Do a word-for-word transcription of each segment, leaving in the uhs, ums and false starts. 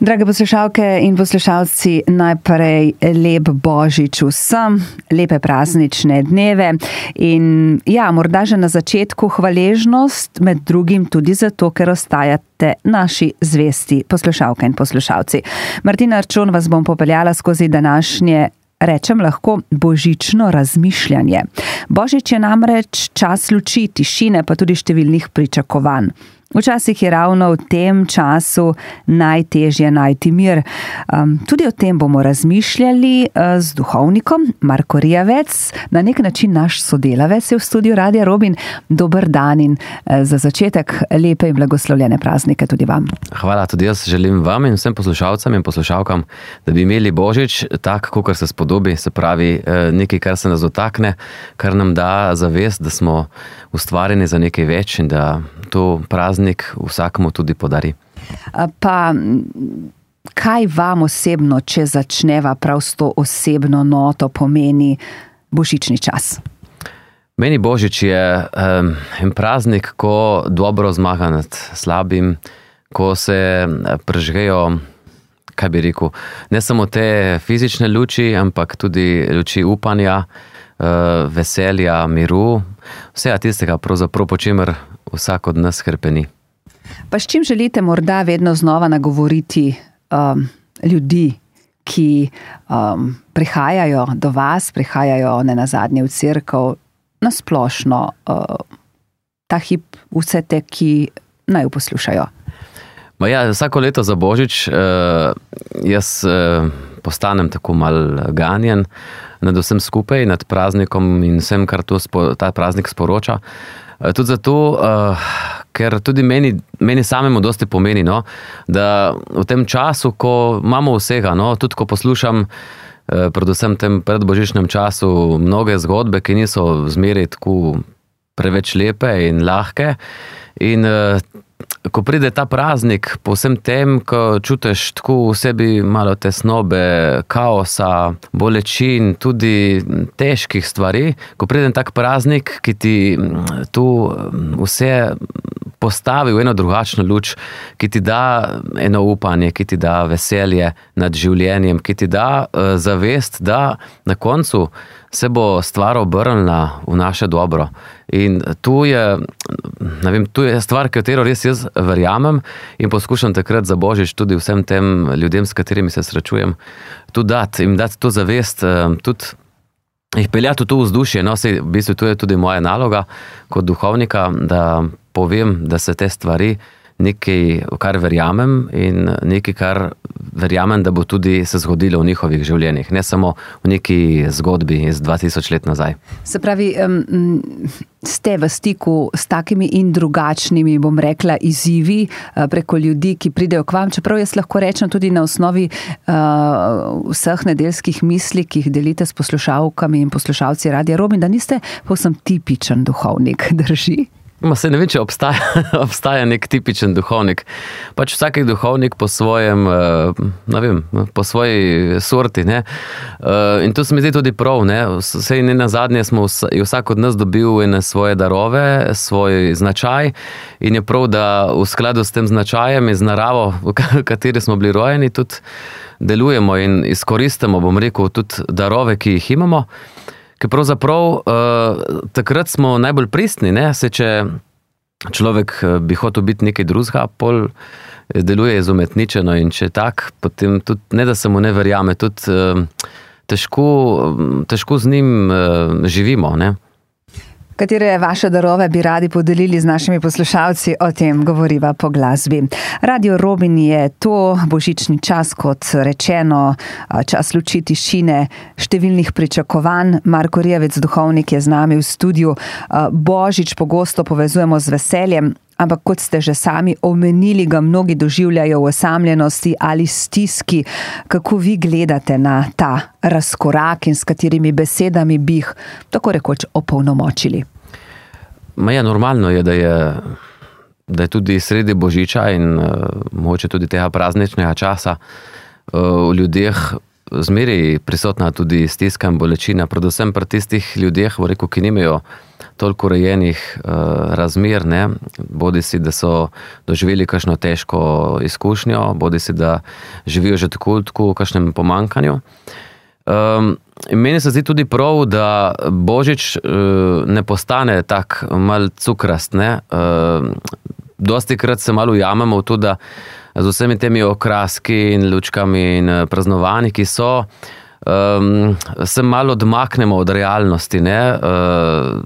Drage poslušalke in poslušalci, najprej lep Božič vsem, lepe praznične dneve in ja, morda že na začetku hvaležnost, med drugim tudi zato, ker ostajate naši zvesti poslušalke in poslušalci. Martina Arčon vas bom popeljala skozi današnje, rečem lahko, božično razmišljanje. Božič je namreč čas luči, tišine, pa tudi številnih pričakovanj. Včasih je ravno v tem času najtežje najti mir. Um, tudi o tem bomo razmišljali uh, z duhovnikom Marko Rijavec, na nek način naš sodelavec je v studiu Radia Robin. Dober dan in uh, za začetek lepe in blagoslovljene praznike tudi vam. Hvala, tudi jaz želim vam in vsem poslušalcem in poslušalkam, da bi imeli Božič tak, kakor se spodobi, se pravi nekaj, kar se nas dotakne, kar nam da zavest, da smo ustvarjeni za nekaj več in da to praznik vsakemu tudi podari. Pa kaj vam osebno, če začneva prav s to osebno noto, pomeni božični čas? Meni Božič je um, en praznik, ko dobro zmaga nad slabim, ko se prežgejo, kaj bi rekel, ne samo te fizične luči, ampak tudi luči upanja, uh, veselja, miru, vsega tistega, pravzaprav po čemer vsak od nas hrpeni. Pa s čim želite morda vedno znova nagovoriti um, ljudi, ki um, prihajajo do vas, prihajajo nenazadnje v cerkev, nasplošno uh, ta hip vse te, ki naj poslušajo? Ma ja, vsako leto za Božič uh, jaz uh, postanem tako mal ganjen nad vsem skupaj, nad praznikom in vsem, kar to spo, ta praznik sporoča. Uh, tudi zato, uh, ker tudi meni, meni samemu dosti pomeni, no, da v tem času, ko imamo vsega, no, tudi ko poslušam uh, predvsem v tem predbožičnem času mnoge zgodbe, ki niso zmeraj tako preveč lepe in lahke, in uh, ko pride ta praznik, po vsem tem, ko čutiš tako v sebi malo tesnobe, kaosa, bolečin, tudi težkih stvari, ko pride tak praznik, ki ti tu vse postavi v eno drugačno luč, ki ti da eno upanje, ki ti da veselje nad življenjem, ki ti da uh, zavest, da na koncu se bo stvar obrnila v naše dobro. In tu je, ne vem, tu je stvar, katero res jaz verjamem in poskušam takrat za Božič tudi vsem tem ljudem, s katerimi se srečujem, tudi dati, jim dati to zavest, tudi jih peljati v to vzdušje. No, sej, v bistvu to je tudi moja naloga kot duhovnika, da povem, da se te stvari nekaj, kar verjamem in nekaj, kar verjamem, da bo tudi se zgodilo v njihovih življenjih, ne samo v neki zgodbi iz dva tisoč let nazaj. Se pravi, um, ste v stiku s takimi in drugačnimi, bom rekla, izzivi preko ljudi, ki pridejo k vam, čeprav jaz lahko rečem tudi na osnovi uh, vseh nedeljskih misli, ki jih delite s poslušalkami in poslušalci Radia Robin, da niste povsem tipičen duhovnik, drži? Ma se ne vem, če obstaja, obstaja nek tipičen duhovnik. Pač vsak duhovnik po svojem, ne vem, po svoji sorti, ne. In to se mi zdi tudi prav, ne. Sej ne nazadnje smo vsak od nas dobil ene svoje darove, svoj značaj in je prav, da v skladu s tem značajem in z naravo, v kateri smo bili rojeni, tudi delujemo in izkoristimo, bom rekel, tudi darove, ki jih imamo. Ker pravzaprav uh, takrat smo najbolj pristni, ne, se če človek bi hotel biti nekaj drugega, pol deluje izumetničeno in če tak, potem tudi ne, da se mu ne verjame, tudi uh, težko, težko z njim uh, živimo, ne. Katere vaše darove bi radi podelili z našimi poslušalci, o tem govoriva po glasbi. Radio Robin je to božični čas, kot rečeno, čas luči, tišine, številnih pričakovanj. Marko Rijavec, duhovnik, je z nami v studiu. Božič pogosto povezujemo z veseljem, ampak kot ste že sami omenili, ga mnogi doživljajo v osamljenosti ali stiski. Kako vi gledate na ta razkorak in s katerimi besedami bi jih tako rekoč opolnomočili? Ma ja, normalno je, da je, da je tudi sredi Božiča in uh, mogoče tudi tega prazničnega časa uh, v ljudeh zmeraj prisotna tudi stiska in bolečina, predvsem pri tistih ljudeh, v reku, ki nimajo toliko urejenih uh, razmer, ne, bodi si, da so doživeli kakšno težko izkušnjo, bodi si, da živijo že tako, tako v kakšnem pomankanju. Um, meni se zdi tudi prav, da Božič uh, ne postane tak mal cukrast, ne. Uh, dosti krat se malo ujamemo v to, da z vsemi temi okraski in lučkami in praznovanji, ki so, um, se malo odmaknemo od realnosti, ne. Uh,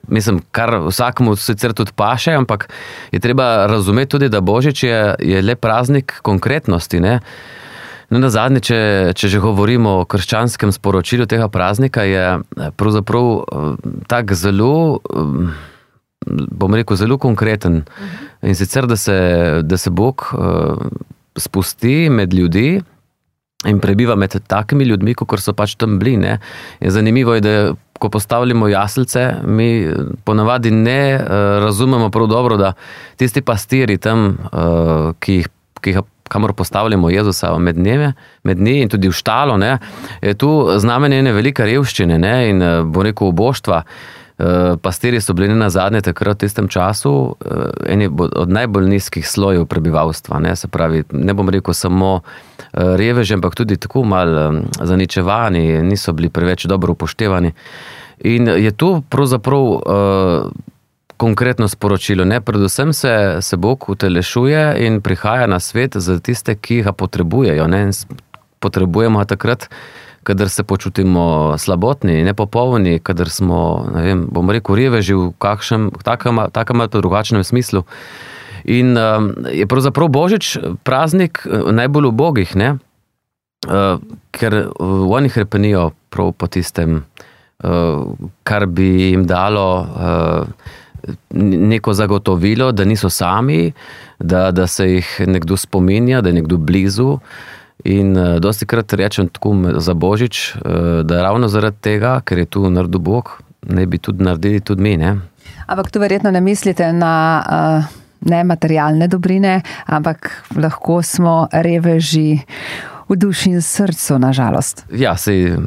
mislim, kar vsakemu sicer tudi paše, ampak je treba razumeti tudi, da Božič je, je le praznik konkretnosti, ne. No, na zadnje, če, če že govorimo o krščanskem sporočilu tega praznika, je pravzaprav tak zelo, bom rekel, zelo konkreten. In sicer, da se, da se Bog spusti med ljudi in prebiva med takimi ljudmi, kot so pač tam bili, ne. Je zanimivo je, da ko postavljamo jaslice, mi ponavadi ne razumemo prav dobro, da tisti pastiri tam, ki jih, ki jih kamor postavljamo Jezusa med njeme, med njih in tudi v štalo, ne, je tu znamenje ene velike revščine, ne, in bo rekel oboštva. Pastirji so bili na zadnje takrat v tistem času eni od najbolj nizkih slojev prebivalstva, ne, se pravi, ne bom rekel samo reveži, ampak tudi tako malo zaničevani, niso bili preveč dobro upoštevani. In je tu pravzaprav uh, konkretno sporočilo, ne, predvsem se, se Bog utelešuje in prihaja na svet za tiste, ki ga potrebujejo, ne, potrebujemo ga takrat, kadar se počutimo slabotni, nepopolni, kadar smo, ne vem, bom rekel, reveži v kakšnem, takem, takem ali drugačnem smislu. In uh, je pravzaprav Božič praznik najbolj ubogih, ne, uh, ker oni hrepenijo prav po tistem, uh, kar bi jim dalo uh, neko zagotovilo, da niso sami, da, da se jih nekdo spominja, da je nekdo blizu. In uh, dosti krat rečem tako za Božič, uh, da ravno zaradi tega, ker je tu naredil Bog, ne bi tudi naredili tudi mi, ne. Ampak tu verjetno ne mislite na uh, ne materialne dobrine, ampak lahko smo reveži v duši in srcu, nažalost. Ja, sej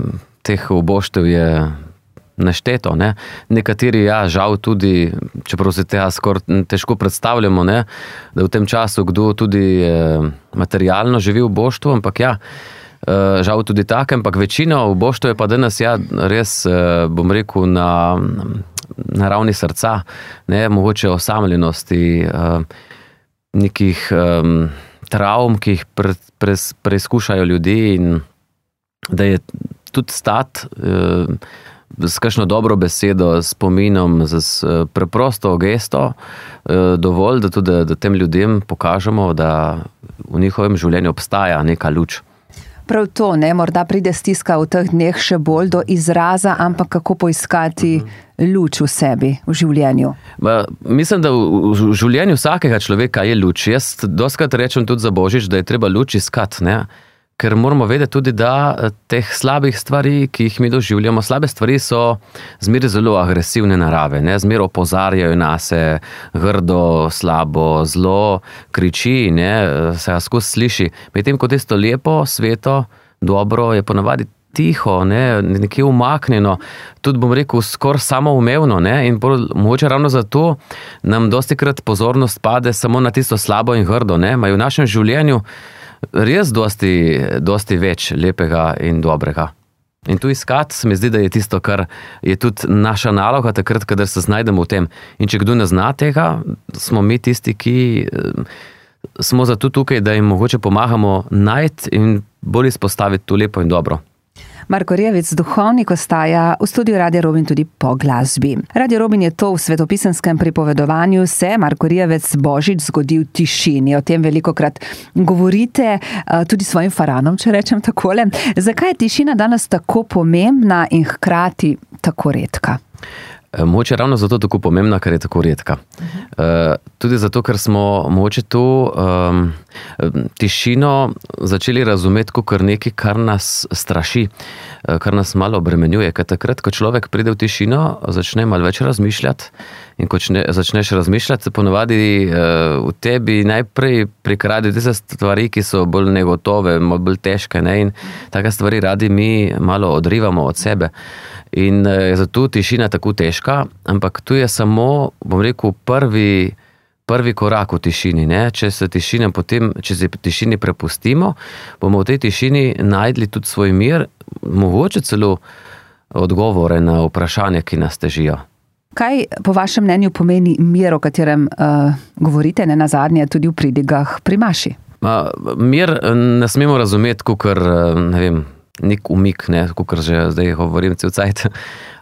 teh oboštev je nešteto, ne. Nekateri, ja, žal tudi, čeprav se tega skoraj težko predstavljamo, ne, da v tem času kdo tudi eh, materialno živi v boštvu, ampak ja, eh, žal tudi tak, ampak večina v boštvu je pa danes, ja, res, eh, bom rekel, na, na ravni srca, ne, mogoče osamljenosti, eh, nekih eh, travm, ki jih pre, pre, preizkušajo ljudi in da je tudi stat eh, s kakšno dobro besedo, s spominom, z preprosto gesto, dovolj, da tudi da tem ljudem pokažemo, da v njihovem življenju obstaja neka luč. Prav to, ne, morda pride stiska v teh dneh še bolj do izraza, ampak kako poiskati luč v sebi, v življenju? Ba, mislim, da v, v življenju vsakega človeka je luč. Jaz dostikrat rečem tudi za Božič, da je treba luč iskati, ne. Ker moramo vedeti tudi, da teh slabih stvari, ki jih mi doživljamo, slabe stvari so zmeraj zelo agresivne narave, ne, zmeraj opozarjajo nase, grdo, slabo, zlo, kriči, ne, se ga skozi sliši. Medtem ko tisto lepo, sveto, dobro je ponavadi tiho, ne, nekje umaknjeno, tudi bom rekel skoraj samoumevno, ne, in mogoče ravno zato nam dostikrat pozornost pade samo na tisto slabo in grdo, ne, imajo v našem življenju res dosti, dosti več lepega in dobrega. In tu iskati se mi zdi, da je tisto, kar je tudi naša naloga takrat, kadar se znajdemo v tem. In če kdo ne zna tega, smo mi tisti, ki smo zato tukaj, da jim mogoče pomagamo najti in bolj izpostaviti to lepo in dobro. Marko Rjevec, duhovnik, ostaja v studiu Radia Robin tudi po glasbi. Radio Robin je to v svetopisenskem pripovedovanju se, Marko Rjevec, Božič zgodi v tišini. O tem velikokrat govorite tudi svojim faranom, če rečem takole. Zakaj je tišina danes tako pomembna in hkrati tako redka? Mogoče ravno zato tako pomembna, ker je tako redka. Uh, tudi zato, ker smo mogoče to um, tišino začeli razumeti kot nekaj, kar nas straši, kar nas malo obremenjuje. Ker takrat, ko človek pride v tišino, začne malo več razmišljati in ko čne, začneš razmišljati, se ponavadi uh, v tebi najprej prikradijo tiste stvari, ki so bolj negotove, bolj težke, ne? In take stvari radi mi malo odrivamo od sebe. In je zato tišina tako težka, ampak tu je samo, bom rekel, prvi, prvi korak v tišini. Ne? Če se tišina potem, če se tišini prepustimo, bomo v tej tišini najdli tudi svoj mir, mogoče celo odgovore na vprašanja, ki nas težijo. Kaj po vašem mnenju pomeni mir, o katerem uh, govorite, ne nazadnje tudi v pridigah pri maši? Ma, mir ne smemo razumeti, kakor, ne vem, nek umik, ne, kakor že zdaj govorim cel cajt.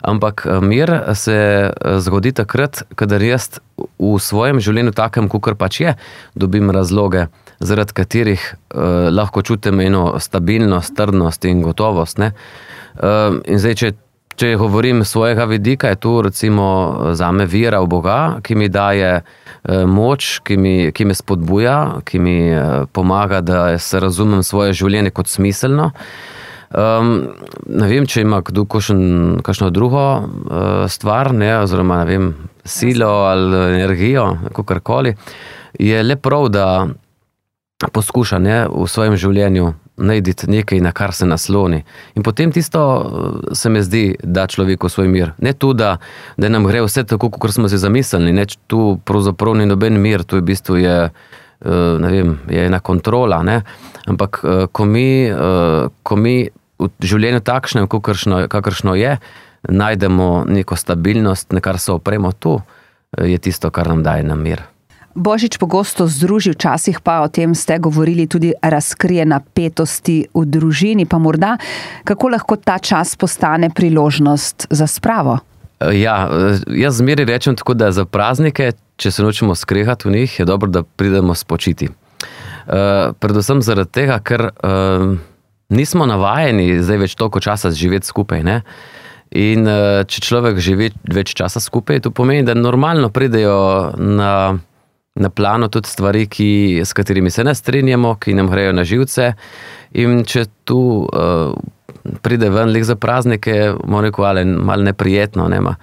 Ampak mir se zgodi takrat, kadar jaz v svojem življenju takem, kakor pač je, dobim razloge, zaradi katerih uh, lahko čutim eno stabilnost, trdnost in gotovost. Ne. Uh, in zdaj, če Če govorim svojega vidika, je to recimo zame vera v Boga, ki mi daje moč, ki mi, ki me spodbuja, ki mi pomaga, da se razumem svoje življenje kot smiselno. Um, ne vem, če ima kdo kakšno drugo uh, stvar, ne, oziroma ne vem, silo ali energijo, kakorkoli, je le prav, da poskuša, ne, v svojem življenju najditi nekaj, na kar se nasloni. In potem tisto se mi zdi, da človeku svoj mir. Ne tu, da, da nam gre vse tako, kot smo si zamislili. Ne, tu pravzaprav ni noben mir, tu je v bistvu je, ne vem, je ena kontrola. Ne. Ampak ko mi, ko mi v življenju takšnem, kakršno, kakršno je, najdemo neko stabilnost, nekar se opremo, tu je tisto, kar nam daje na mir. Božič pogosto združi, včasih pa o tem ste govorili tudi razkrije napetosti v družini, pa morda kako lahko ta čas postane priložnost za spravo? Ja, jaz zmeri rečem tako, da za praznike, če se nočemo skrehati v njih, je dobro, da pridemo spočiti. Uh, predvsem zaradi tega, ker uh, nismo navajeni zdaj več toliko časa živeti skupaj, ne? In uh, če človek živi več časa skupaj, to pomeni, da normalno pridejo na na plano tudi stvari, ki, s katerimi se ne strinjamo, ki nam grejo na živce. In če tu uh, pride ven lik za praznike, moram rekel, ali malo neprijetno. Nema.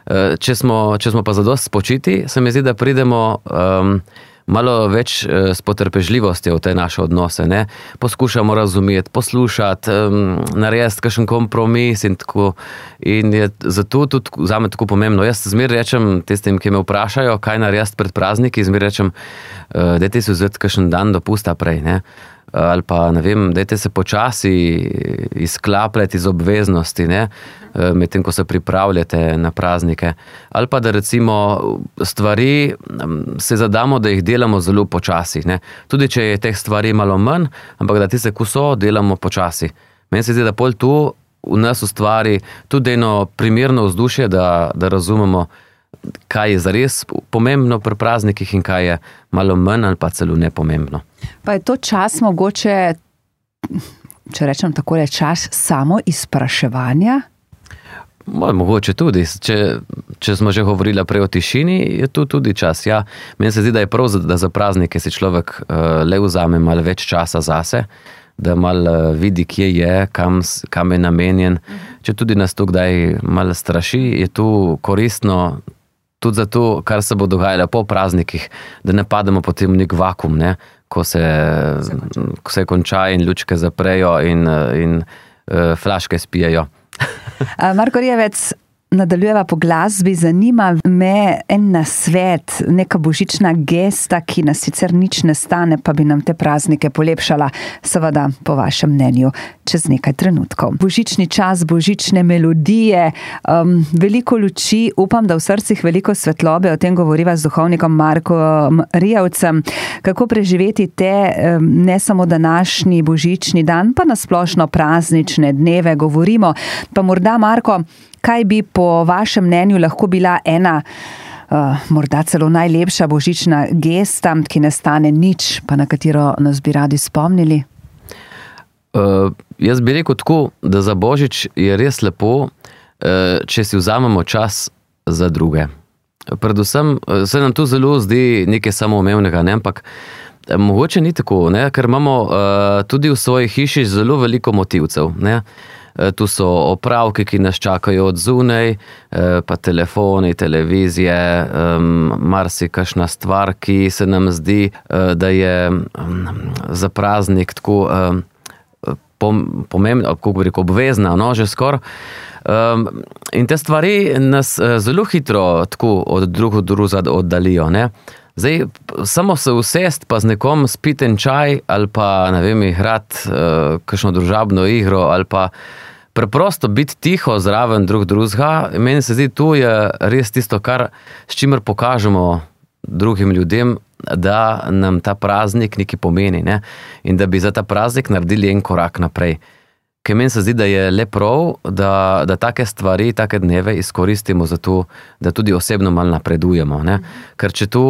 Uh, če, smo, če smo pa zadost spočiti, se mi zdi, da pridemo um, malo več uh, s potrpežljivostjo v te naše odnose. Ne? Poskušamo razumeti, poslušati, um, narediti kakšen kompromis in tako. In je zato tudi zame tako pomembno. Jaz zmer rečem tistim, ki me vprašajo, kaj narediti pred prazniki, zmer rečem, uh, dajte si vzeti kakšen dan dopusta prej, ne? Ali pa, ne vem, dajte se počasi izklapljati iz obveznosti, ne, medtem, ko se pripravljate na praznike. Ali pa, da recimo stvari se zadamo, da jih delamo zelo počasi, ne. Tudi, če je teh stvari malo manj, ampak da tiste, ko so, delamo počasi. Meni se zdi, da pol tu v nas ustvari tudi eno primerno vzdušje, da, da razumemo, kaj je zares pomembno pri praznikih in kaj je malo manj ali pa celo nepomembno. Pa je to čas mogoče, če rečem tako, je čas samo izpraševanja? Mogoče tudi. Če, če smo že govorili prej o tišini, je tu tudi čas. Ja, meni se zdi, da je prav, da za praznike si človek uh, le vzame malo več časa zase, da malo vidi, kje je, kam, kam je namenjen. Če tudi nas to kdaj malo straši, je tu koristno tudi zato, kar se bo dogajalo po praznikih, da ne pademo potem v nek vakum, ne? Ko, se, ko se konča in lučke zaprejo in, in uh, flaške spijejo. Marko Rijavec, nadaljujeva po glasbi, zanima me en nasvet, neka božična gesta, ki nas sicer nič ne stane, pa bi nam te praznike polepšala, seveda po vašem mnenju, čez nekaj trenutkov. Božični čas, božične melodije, um, veliko luči, upam, da v srcih veliko svetlobe, o tem govoriva z duhovnikom Markom Rijavcem. Kako preživeti te, um, ne samo današnji božični dan, pa nasplošno praznične dneve govorimo, pa morda, Marko, kaj bi po vašem mnenju lahko bila ena, uh, morda celo najlepša božična gesta, ki ne stane nič, pa na katero nas bi radi spomnili? Uh, jaz bi rekel tako, da za božič je res lepo, uh, če si vzamemo čas za druge. Predvsem se nam tu zelo zdi nekaj samoumevnega, ne? Ampak mogoče ni tako, ne? Ker imamo uh, tudi v svoji hiši zelo veliko motivcev, ne? Tu so opravki, ki nas čakajo od zunaj, pa telefoni, televizije, marsikakšna stvar, ki se nam zdi, da je za praznik tako pomembna, kako bi rekel, obvezna, no, že skoraj. Um, in te stvari nas zelo hitro tako od drug druga oddalijo, ne. Zdaj, samo se usest pa z nekom spiti en čaj ali pa, ne vem, igrati uh, kakšno družabno igro ali pa preprosto biti tiho zraven drug drugega. Meni se zdi, tu je res tisto, kar, s čimer pokažemo drugim ljudem, da nam ta praznik nekaj pomeni, ne? In da bi za ta praznik naredili en korak naprej. Ker meni se zdi, da je le prav, da, da take stvari, take dneve izkoristimo za to, da tudi osebno malo napredujemo, ne? Ker če tu,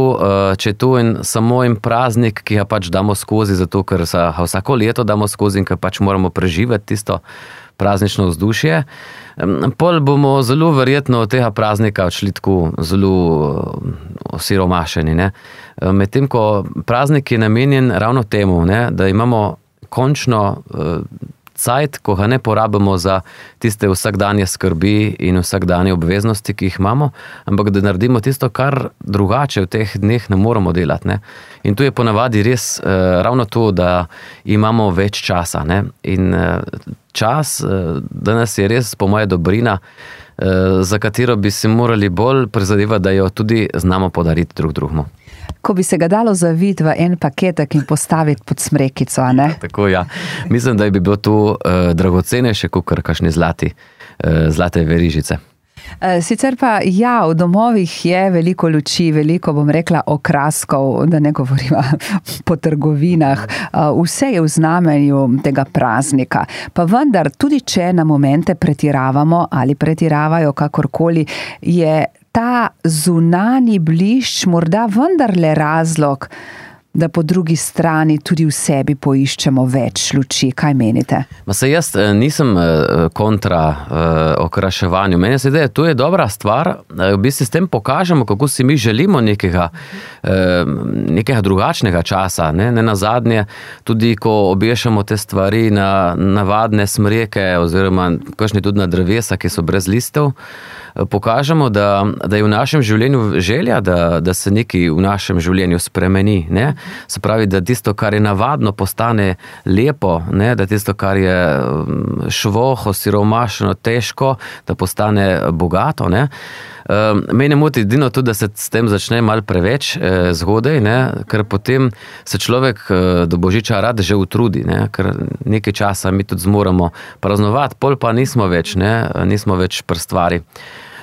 če tu in samo en praznik, ki ga pač damo skozi, zato ker se vsako leto damo skozi in ker pač moramo preživeti tisto praznično vzdušje, pol bomo zelo verjetno od tega praznika odšli tako zelo osiromašeni, ne? Medtem ko praznik je namenjen ravno temu, ne? Da imamo končno cajt, ko ga ne porabimo za tiste vsakdanje skrbi in vsakdanje obveznosti, ki jih imamo, ampak da naredimo tisto, kar drugače v teh dneh ne moramo delati, ne. In tu je ponavadi res eh, ravno to, da imamo več časa, ne. In eh, čas eh, danes je res po moje dobrina, eh, za katero bi si morali bolj prizadevati, da jo tudi znamo podariti drug drugemu. Ko bi se ga dalo zaviti v en paketek in postaviti pod smrekico, a ne? Tako, ja. Mislim, da bi bilo tu uh, dragocenejše, kakor kakšni zlati, uh, zlate verižice. Sicer pa, ja, v domovih je veliko luči, veliko, bom rekla, okraskov, da ne govorimo po trgovinah. Vse je v znamenju tega praznika. Pa vendar, tudi če na momente pretiravamo ali pretiravajo kakorkoli, je ta zunani blišč morda vendarle razlog, da po drugi strani tudi v sebi poiščemo več luči. Kaj menite? Ma se jaz nisem kontra okraševanju. Meni se zdi, to je dobra stvar. V bistvu s tem pokažemo, kako si mi želimo nekega, nekega drugačnega časa. Ne, ne nazadnje, tudi ko obešamo te stvari na navadne smreke oziroma kakšne tudi na drevesa, ki so brez listev, pokažemo, da, da je v našem življenju želja, da, da se nekaj v našem življenju spremeni. Ne? Se pravi, da tisto, kar je navadno, postane lepo, ne? Da tisto, kar je švoho, siromašno, težko, da postane bogato. Ne? Mene moti edino tudi, da se s tem začne malo preveč eh, zgodaj, ne? Ker potem se človek eh, do Božiča rad že utrudi, ne? Ker nekaj časa mi tudi zmoramo praznovati, pol pa nismo več, ne? Nismo več pri stvari.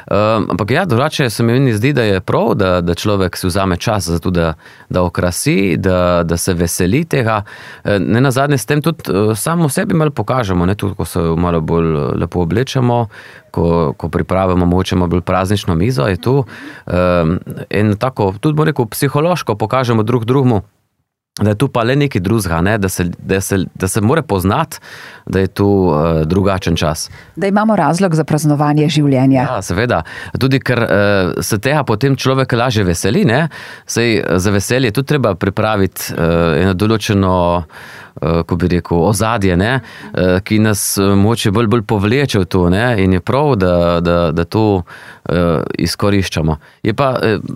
Um, ampak ja, drugače se mi zdi, da je prav, da, da človek si vzame čas za to, da, da okrasi, da, da se veseli tega. Ne nazadnje s tem tudi samo sebi malo pokažemo, ne, tudi ko se malo bolj lepo oblečemo, ko, ko pripravimo mogoče malo bolj praznično mizo, je tu um, in tako, tudi bo rekel, psihološko pokažemo drug drugemu, da je tu pa le nekaj drugega, ne? da, se, da, se, da se more poznati, da je tu uh, drugačen čas. Da imamo razlog za praznovanje življenja. Ja, seveda. Tudi ker uh, se tega potem človek lažje veseli, ne? Sej za veselje tudi treba pripraviti uh, eno določeno ko bi rekel, ozadje, ne, ki nas moče bolj, bolj povleče v to, ne, in je prav, da, da, da to izkoriščamo. Je pa,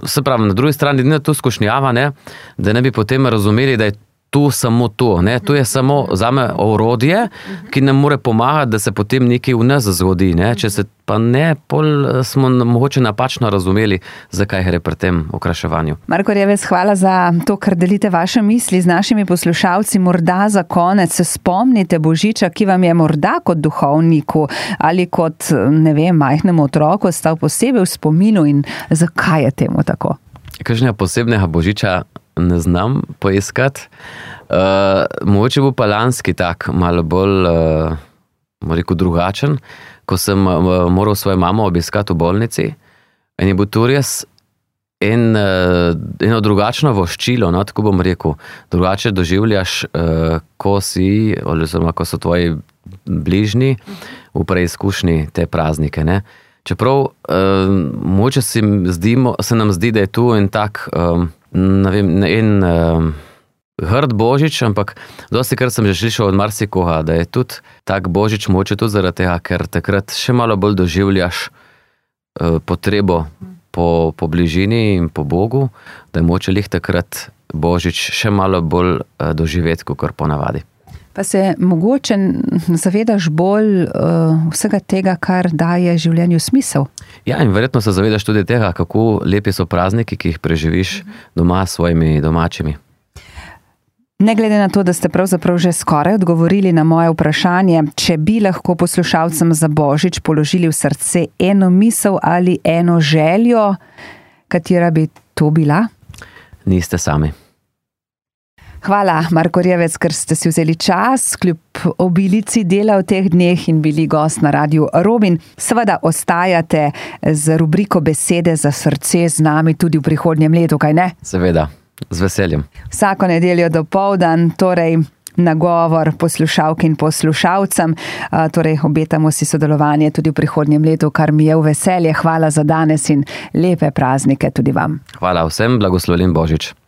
se pravi, na drugi strani, ne to skušnjava, ne, da ne bi potem razumeli, da je tu samo to, ne, to je samo zame orodje, ki nam more pomagati, da se potem nekaj v nas zgodi, ne, če se pa ne, pol smo mogoče napačno razumeli, zakaj gre pri tem okraševanju. Marko Revec, hvala za to, kar delite vaše misli z našimi poslušalci. Morda za konec se spomnite Božiča, ki vam je morda kot duhovniku ali kot, ne vem, majhnemu otroku stal posebej v spominu in zakaj je temu tako? Kakšnega posebnega Božiča ne znam poiskati. Uh, mogoče bo pa lanski tak, malo bolj, uh, rekel, drugačen, ko sem uh, moral svojo mamo obiskati v bolnici in je bil tu res en, uh, eno drugačno voščilo, no, tako bom rekel. Drugače doživljaš, uh, ko si, oziroma ko so tvoji bližnji v preizkušnji te praznike, ne. Čeprav, uh, mogoče se, zdimo, se nam zdi, da je tu en tak, um, ne vem, en uh, grd Božič, ampak dosti kar sem že slišal od marsikoga, da je tudi tak Božič mogoče tudi zaradi tega, ker takrat še malo bolj doživljaš uh, potrebo po, po bližini in po Bogu, da je mogoče lih takrat Božič še malo bolj uh, doživeti, kakor ponavadi. Pa se mogoče zavedaš bolj uh, vsega tega, kar daje življenju smisel? Ja, in verjetno se zavedaš tudi tega, kako lepi so prazniki, ki jih preživiš doma s svojimi domačimi. Ne glede na to, da ste pravzaprav že skoraj odgovorili na moje vprašanje, če bi lahko poslušalcem za Božič položili v srce eno misel ali eno željo, katera bi to bila? Niste sami. Hvala, Marko Rjevec, ker ste si vzeli čas, kljub obilici dela v teh dneh in bili gost na Radiu Robin. Seveda ostajate z rubriko Besede za srce z nami tudi v prihodnjem letu, kaj ne? Seveda. Z veseljem. Vsako nedeljo dopoldan, torej nagovor poslušalk in poslušalcem, torej obetamo si sodelovanje tudi v prihodnjem letu, kar mi je v veselje. Hvala za danes in lepe praznike tudi vam. Hvala vsem, blagoslovljen Božič.